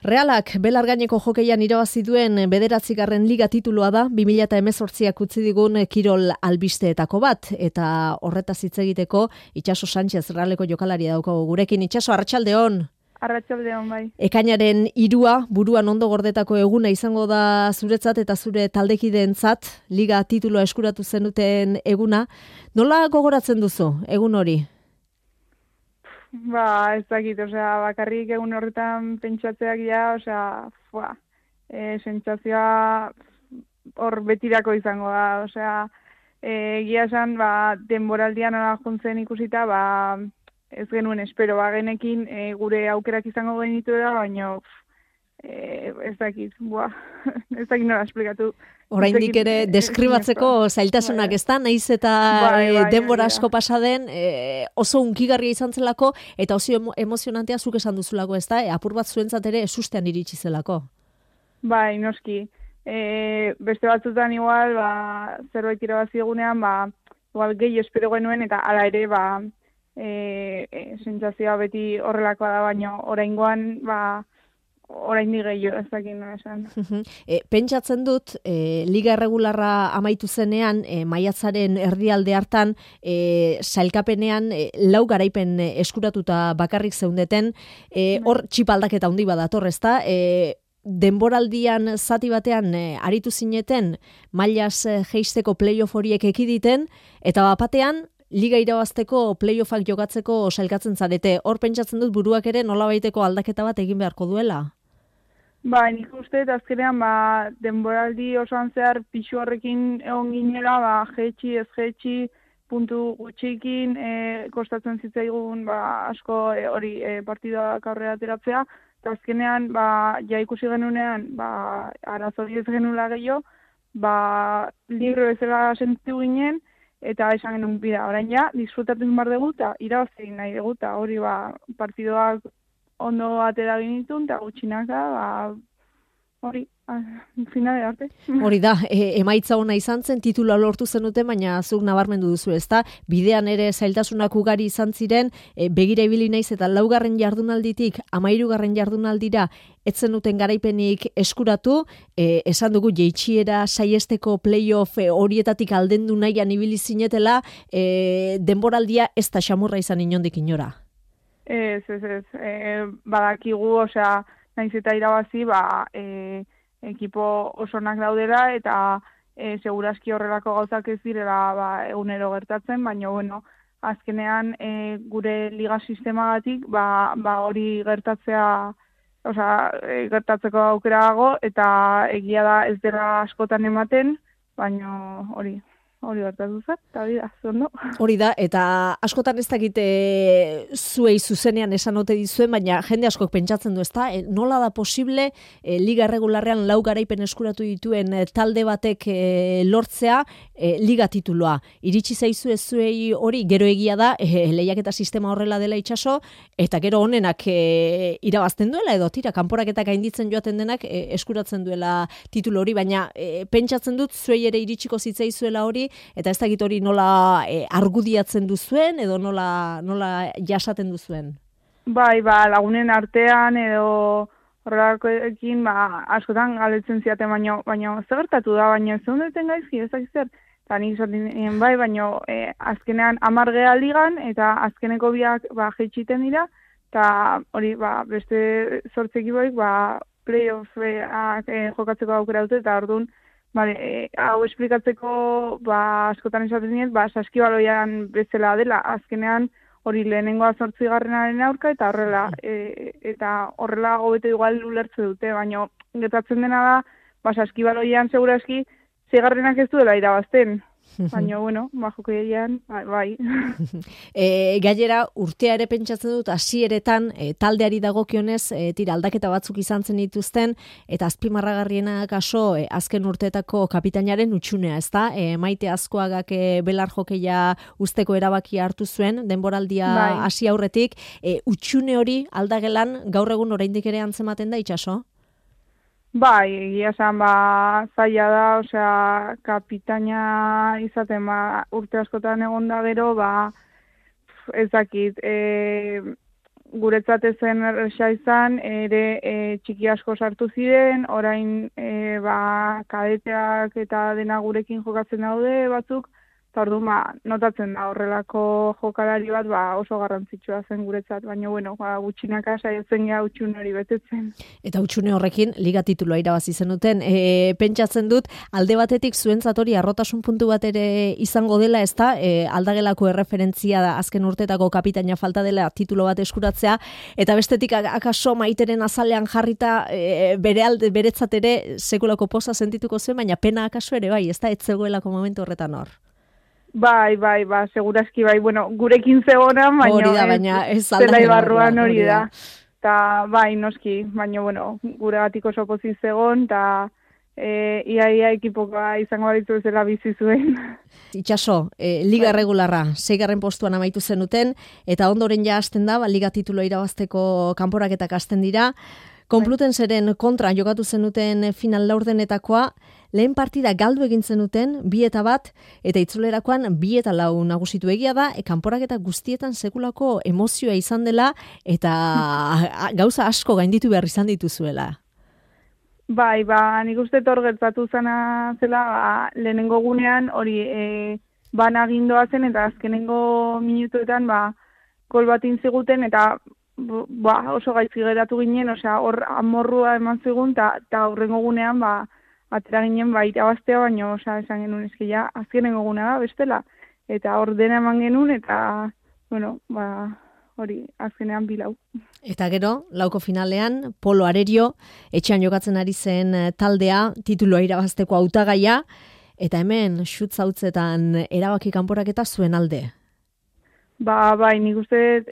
Realak belargaineko jokeian irabazi duen 9. liga titulua da 2018ak utzi digun kirol albisteetako bat, eta horretaz hitz egiteko Itxaso Sánchez Realeko jokalari daukagu gurekin. Itxaso, arratsaldeon. Arratsaldeon, bai. Ekainaren 3 buruan ondo gordetako eguna izango da zuretzat eta zure taldekideentzat, liga titulua eskuratu zenuten eguna. Nola gogoratzen duzu egun hori? Ez dakit, bakarrik egun horretan pentsatzeak ja, sentsazioa hor betirako izango da, egia esan, denboraldian jontzen ikusita, ez genuen espero, genekin gure aukerak izango genituela, baina ez dakit, ez dakit nola esplikatu. Oraindik ere deskribatzeko zailtasunak ezta, naiz eta denbora asko pasa den, oso hunkigarria izan zelako eta oso emozionantea zuk esan duzulako, ezta? Apur bat zuentzat ere esustean iritsi zelako. Bai, noski. Beste batzutan igual, zerbait irabazi egunean, igual gehi espero genuen eta hala ere, sentsazioa beti horrelakoa da, baina oraingoan, oraindik gehiago, ez dakit nola esan. Pentsatzen dut, liga erregularra amaitu zenean, maiatzaren erdialde hartan, sailkapenean 4 garaipen eskuratuta bakarrik zeundeten, hor txipaldaketa handi badator, ezta? Denboraldian zati batean aritu zineten, mailaz jeisteko playoff horiek ekiditen, eta bapatean, liga irabazteko playoffak jokatzeko sailkatzen zarete. Hor pentsatzen dut buruak ere nolabaiteko aldaketa bat egin beharko duela? Nik uste, azkenean, denboraldi osoan zehar pixu horrekin egon ginela, jetxi, ez jetxi, puntu gutxikin, kostatzen zitzaigun, asko hori partidak aurrera ateratzea, eta azkenean, ja ikusi genunean, arazori ez genula gehiago, libro bezala sentitu ginen, eta esan genuen bida, orain ja, disfrutatzen behar dugu, eta irabazi nahi dugu, eta hori partidoak ondo atera genitun, eta gutxinaka, hori, finale arte. Hori da, emaitza ona izan zen, titula lortu zenuten, baina zuk nabarmendu duzu, ezta? Bidean ere zailtasunak ugari izan ziren, begira ibili naiz eta 4. jardunalditik 13. jardunaldira ez zenuten garaipenik eskuratu, esan dugu jeitsiera saiesteko playoff horietatik aldendu nahian ibili zinetela, denboraldia ez da xamurra izan inondik inora. Ez. Badakigu, naiz eta irabazi, ekipo osonak daudela, eta segurazki horrelako gauzak ez direla egunero gertatzen, baina, azkenean gure liga sistemagatik, hori gertatzeko aukera dago, eta egia da ez dela askotan ematen, baina hori gertatu zen, eta hori da, zondo. Hori da, eta askotan ez dakite zuei zuzenean esan ote dizuen, baina jende askok pentsatzen du, ezta? Nola da posible liga erregularrean 4 garaipen eskuratu dituen talde batek lortzea liga tituloa. Iritsi zaizu ez zuei hori, gero egia da, lehiaketa sistema horrela dela Itxaso, eta gero honenak irabazten duela, edo tira, kanporaketak gainditzen joaten denak eskuratzen duela titulo hori, baina pentsatzen dut zuei ere iritsiko zitzaizuela hori, eta ez dakit hori nola argudiatzen duzuen, edo nola jasaten duzuen? Lagunen artean, edo horrelakoekin, askotan galdetzen ziaten, baina zer gertatu da, baina ez duten gaizki, ez dakit zer. Eta nik esaten baina azkenean 10 geha ligan, eta azkeneko biak jeitsiten dira, eta hori, beste 8 ekipoik, playoff jokatzeko aukera dute, eta orduan, hau esplikatzeko askotan esaten dut, saskibaloian bezala dela, azkenean hori lehenengoa 8. aurka, eta horrela hobeto igual ulertze dute, baina gertatzen dena da, saskibaloian segurazki 6. ez duela irabazten. Baina, jokeian, bai. Gainera, urtea ere pentsatzen dut, hasieretan taldeari dagokionez, aldaketa batzuk izan zen dituzten, eta azpimarragarriena kaso, azken urteetako kapitainaren utxunea, ezta? Maite Azkoagak belar jokeia usteko erabaki hartu zuen, denboraldia hasi aurretik, utxune hori aldagelan gaur egun oraindik ere antzematen da, Itxaso? Egia esan, zaila da, kapitaina izaten, urte askotan egon da gero, ez dakit, guretzat ezen erresa izan, ere txiki asko sartu ziren, orain kadeteak eta dena gurekin jokatzen daude batzuk, eta orduan notatzen da horrelako jokalari bat oso garrantzitsua zen guretzat, baina gutxinaka saiatzen gea utxune hori betetzen. Eta utxune horrekin liga titulua irabazi zenuten. Pentsatzen dut, alde batetik zuentzat hori arrotasun puntu bat ere izango dela, ezta? Aldagelako erreferentzia da azken urtetako kapitaina falta dela titulo bat eskuratzea, eta bestetik akaso Maiteren azalean jarrita beretzat ere sekulako poza sentituko zen, baina pena akaso ere bai, ezta? Ez zegoelako momentu horretan hor. Bai, segurazki bai, gurekin zegona, baina ez zelai barruan hori da. Ta bai, noski, baina gure gatik oso pozik zegon, eta ia ekipoka izango baditu zela bizi zuen. Itxaso, liga regularra, 6. postuan amaitu zenuten, eta ondoren ja hasten da, liga titulo irabazteko kanporaketak hasten dira. Konplutenseren kontra jokatu zenuten final laurdenetakoa, lehen partida galdu egin zenuten 2-1, eta itzulerakoan 2-4 nagusitu egia da, kanporaketa guztietan sekulako emozioa izan dela, eta gauza asko gainditu behar izan dituzuela. Bai, nik uste hor gertatu zana zela, lehenengo gunean hori agindoa zen, eta azkenengo minutuetan gol bat intziguten, eta oso gaizki geratu ginen, hor amorrua eman zigun, eta horrengo gunean atera ginen irabaztea, baina esan genuen eskia azkenengo gunea da, bestela. Eta hor dena eman genuen, eta hori azkenean bilau. Eta gero, lauko finalean, Polo Arerio, etxean jokatzen ari zen taldea, tituloa irabazteko hautagaia, eta hemen xutzautzetan erabaki kanporaketa zuen alde. Bai, nik uste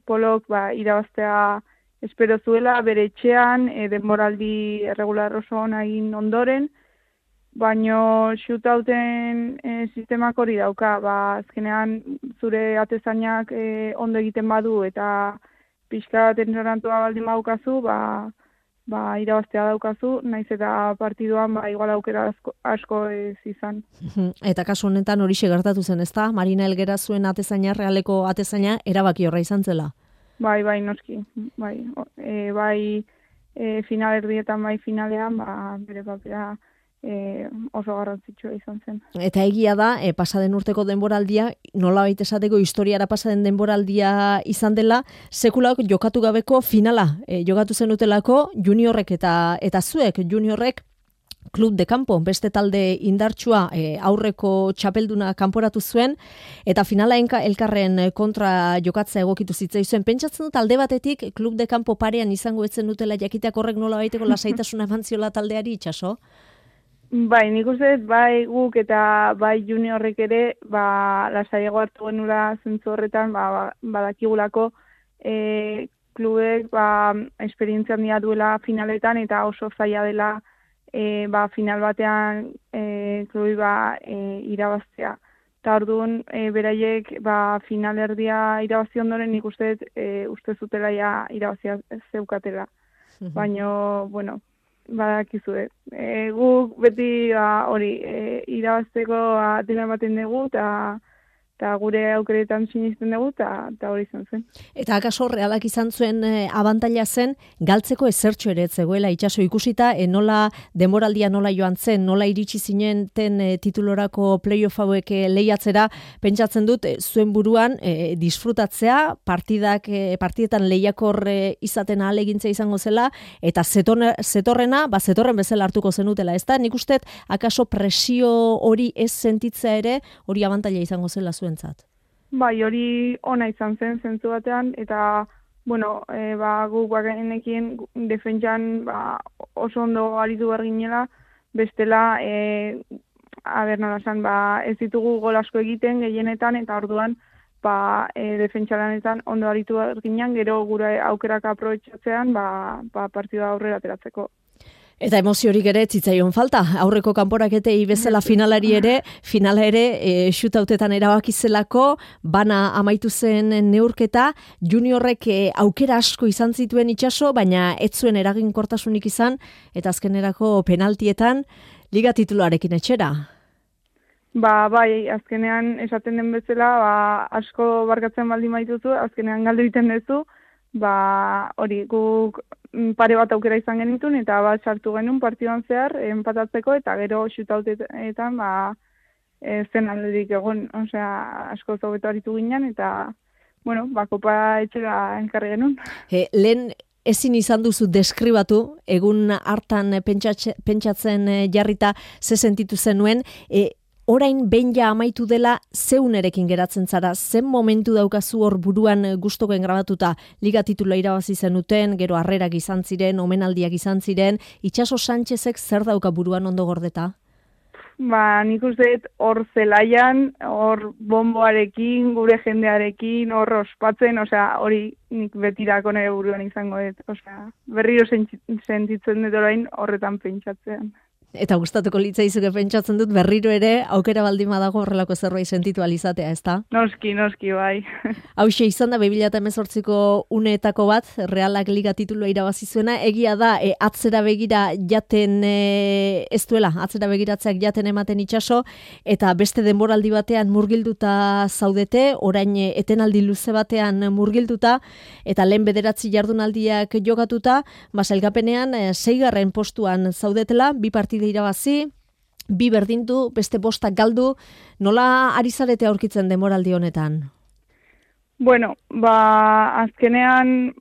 Polok irabaztea espero zuela, bere etxean, denboraldi erregular oso ona egin ondoren, baino shootouten sistemak hori dauka, azkenean zure atezainak ondo egiten badu eta pixka tensorantua baldin badukazu, irabaztea daukazu, naiz eta partiduan igual aukera asko ez izan. Eta kasu honetan horixe gertatu zen, ezta? Marina Elgera zuen atezaina, Realeko atezaina, erabaki horra izan zela? Bai, noski. Final erdietan, finalean, bere papera oso garrantzitsua izan zen. Eta egia da, pasaden urteko denboraldia, nolabait esateko historiara pasaden denboraldia izan dela, sekulak jokatu gabeko finala. Jokatu zenutelako juniorrek eta zuek juniorrek Club de Campo, beste talde indartsua aurreko txapelduna kanporatu zuen, eta finala elkarren kontra jokatzea egokitu zitzaizuen. Pentsatzen dut alde batetik Club de Campo parean izango etzen dutela jakiteak horrek nola baiteko lasaitasuna eman ziola taldeari, Itxaso? Bai, nik uste, guk eta juniorrek ere, lasaiago hartu genula zentzu horretan, badakigulako klubek esperientzia handia duela finaletan, eta oso zaila dela final batean klubi irabaztea. Eta orduan, beraiek final erdia irabazi ondoren nik uste zutela irabazia zeukatela. Baina, badakizue. Guk beti hori irabazteko dena ematen dugu, eta gure aukeretan sinisten dugu, eta hori izan zen. Eta akaso Realak izan zuen abantaila zen, galtzeko ezertxo ere zegoela, Itxaso, ikusita, nola denboraldia nola joan zen, nola iritsi zinenten titulorako playoff hauek lehiatzera, pentsatzen dut, zuen buruan disfrutatzea, partidetan lehiakor izaten ahalegintza izango zela, eta zetorren bezala hartuko zenutela, ez da? Nik uste, akaso presio hori ez sentitzea ere, hori abantaila izango zela zuentzat. Bai, hori ona izan zen, zentzu batean, eta, guk bagenekin defentsan oso ondo aritu berginela, bestela, nola esan, ez ditugu gol asko egiten gehienetan, eta orduan, defentsalanetan ondo aritu berginean, gero gure aukerak aprobetxatzean, partida aurrera ateratzeko. Eta emoziorik ere zitzaion falta. Aurreko kanporaketei bezala finala ere shootoutetan erabakizelako, bana amaitu zen neurketa, juniorrek aukera asko izan zituen Itxaso, baina ez zuen eraginkortasunik izan, eta azkenerako penaltietan liga tituluarekin etxera. Bai, azkenean esaten den bezala, asko barkatzen baldin baituzu, azkenean galdu egiten duzu, hori guk pare bat aukera izan genitun, eta sartu genuen partiduan zehar, enpatatzeko, eta gero shoooutetan, zen alderik egon, osea, asko zobeto aritu ginen, eta, bueno, kopa etxera enkarri genuen. Lehen ezin izan duzu deskribatu, egun hartan pentsatzen jarrita ze sentitu zenuen, orain behin ja amaitu dela zeunerekin geratzen zara, zen momentu daukazu hor buruan gustokoen grabatuta liga titula irabazi zenuten, gero harrerak izan ziren, omenaldiak izan ziren, Itxaso Sánchezek zer dauka buruan ondo gordeta? Nik uste hor zelaian, hor bomboarekin, gure jendearekin, hor ospatzen, osea, hori nik betirako nire buruan izango dut, osea, berriro sentitzen dut orain horretan pentsatzean. Eta gustatuko litzaizuke pentsatzen dut berriro ere aukera baldin badago horrelako zerbait sentitu alizatea, ezta? Noski, bai. Hauxe izan da 2018ko uneetako bat, Realak liga titulua irabazi zuena, egia da atzera begira jaten ez duela, atzera begiratzeak jaten ematen Itxaso, eta beste denboraldi batean murgilduta zaudete, orain etenaldi luze batean murgilduta, eta lehen 9 jardunaldiak jokatuta, sailkapenean 6. postuan zaudetela, 2 partida irabazi, 2 berdindu, beste 5 galdu, nola ari zarete aurkitzen denboraldi honetan? Bueno, azkenean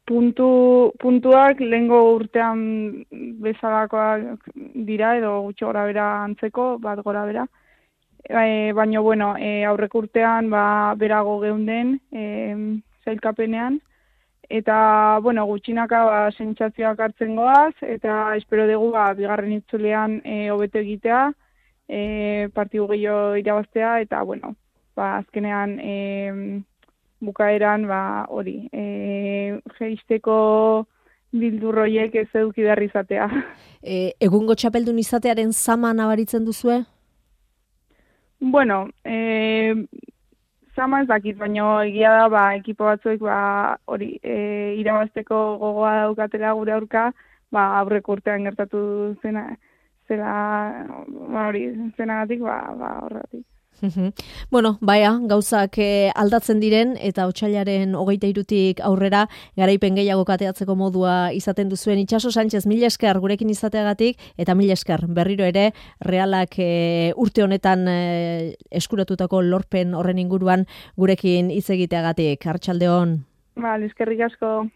puntuak lehengo urtean bezalakoak dira, edo gutxi gora bera antzeko, bat gora bera. Baina, bueno, aurreko urtean berago geunden zailkapenean, eta, bueno, gutxinaka sentsazioak hartzen goaz, eta espero dugu bigarren itzulean hobeto egitea, partidu gehiago irabaztea, eta, bueno, azkenean bukaeran, hori, jeisteko bildurroiek ez eduki behar izatea. Egungo txapeldun izatearen zama nabaritzen duzue? Bueno, zama ez dakit, baina egia da, ekipo batzuek hori irabazteko gogoa daukatela gure aurka, aurreko urtean gertatu zenagatik, horregatik. Bueno, gauzak aldatzen diren eta otsailaren 23tik aurrera garaipen gehiago kateatzeko modua izaten duzuen Itxaso Sánchez, mila esker gurekin izateagatik eta mila esker berriro ere Realak urte honetan eskuratutako lorpen horren inguruan gurekin hitz egiteagatik. Arratsalde on. Eskerrik asko.